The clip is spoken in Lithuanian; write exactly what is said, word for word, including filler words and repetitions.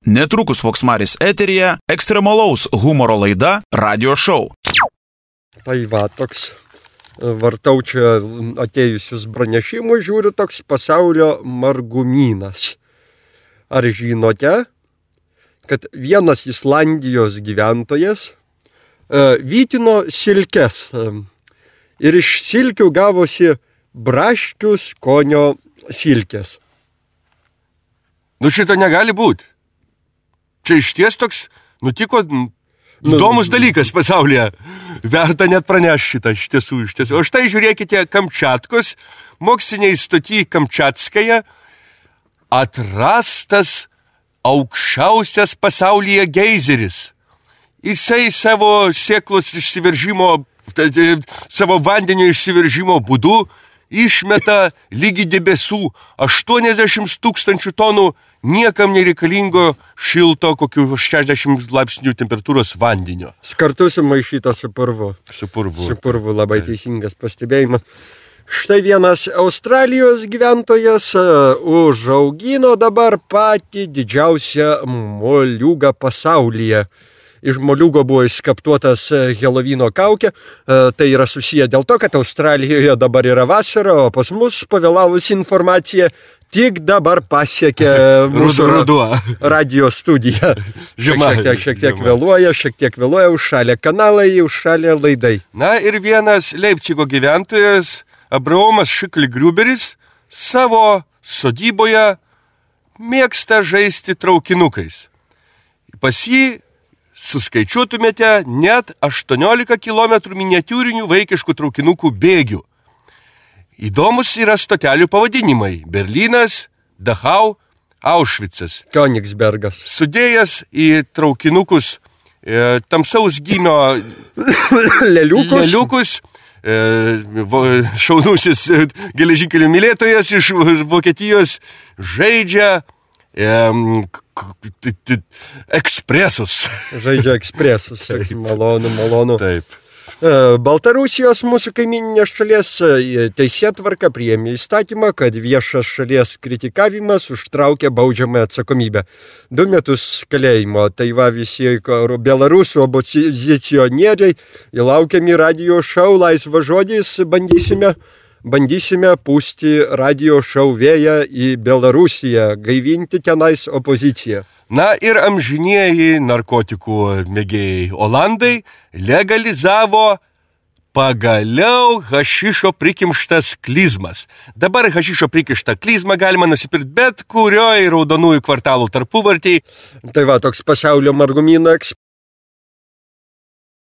Netrukus Voksmaris eteryje ekstremalaus humoro laida Radio Show. Tai va, toks vartau čia atėjusius pranešimus, žiūriu toks pasaulio margumynas. Ar žinote, kad vienas Islandijos gyventojas e, vytino silkes e, ir iš silkių gavosi braškių skonio silkės? Nu šito negali būti. Čia išties toks nutiko įdomus nu, dalykas pasaulyje. Verta net pranešti šitą iš tiesų, iš tiesų. O štai žiūrėkite, Kamčiatkos moksliniai stoty Kamčiatskaja atrastas aukščiausias pasaulyje geizeris. Jisai savo sėklos išsiveržimo, savo vandenio išsiveržimo būdu išmeta lygi debesų aštuoniasdešimt tūkstančių tonų niekam nereikalingo šilto, kokių šešiasdešimt laipsnių temperatūros vandenio. Kartu sumaišyta su purvu. Su purvu. Su purvu, labai teisingas pastebėjimas. Štai vienas Australijos gyventojas užaugino dabar patį didžiausią moliūgą pasaulyje. Iš moliūgo buvo išskaptuotas Helovino kaukė. Tai yra susiję dėl to, kad Australijoje dabar yra vasara, o pas mus pavėlavusi informacija tik dabar pasiekė mūsų radio studiją. Žema, šiek tiek, šiek tiek vėluoja, šiek tiek vėluoja, užšalė kanalai, užšalė laidai. Na ir vienas Leipcigo gyventojas, Abraomas Šikli-Griuberis, savo sodyboje mėgsta žaisti traukinukais. Pas jį suskaičiuotumėte net aštuoniolika kilometrų miniatiūrinių vaikiškų traukinukų bėgių. Įdomus yra stotelių pavadinimai: Berlynas, Dachau, Aušvicas. Königsbergas. Sudėjęs į traukinukus e, tamsaus gymio leliukus, leliukus e, šaunusis geležinkelių mylėtojas iš Vokietijos žaidžia e, ekspresus. Žaidžia ekspresus, malonu, malonu. Taip. Baltarusijos mūsų kaimyninės šalies teisėtvarka priėmė įstatymą, kad viešas šalies kritikavimas užtraukia baudžiamąją atsakomybę. Du metus kalėjimo. Tai va visi belarusų opozicionieriai įlaukiami Radio Show laisvą žodis, bandysime, bandysime pūsti Radio Show vėją į Belarusiją, gaivinti tenais opoziciją. Na ir amžinieji narkotikų mėgėjai Olandai legalizavo pagaliau hašišo prikimštas klizmas. Dabar hašišo prikimštą klizmą galima nusipirkti bet kurioj raudonųjų kvartalų tarpuvartėj. Tai va, toks pasaulio margumynas.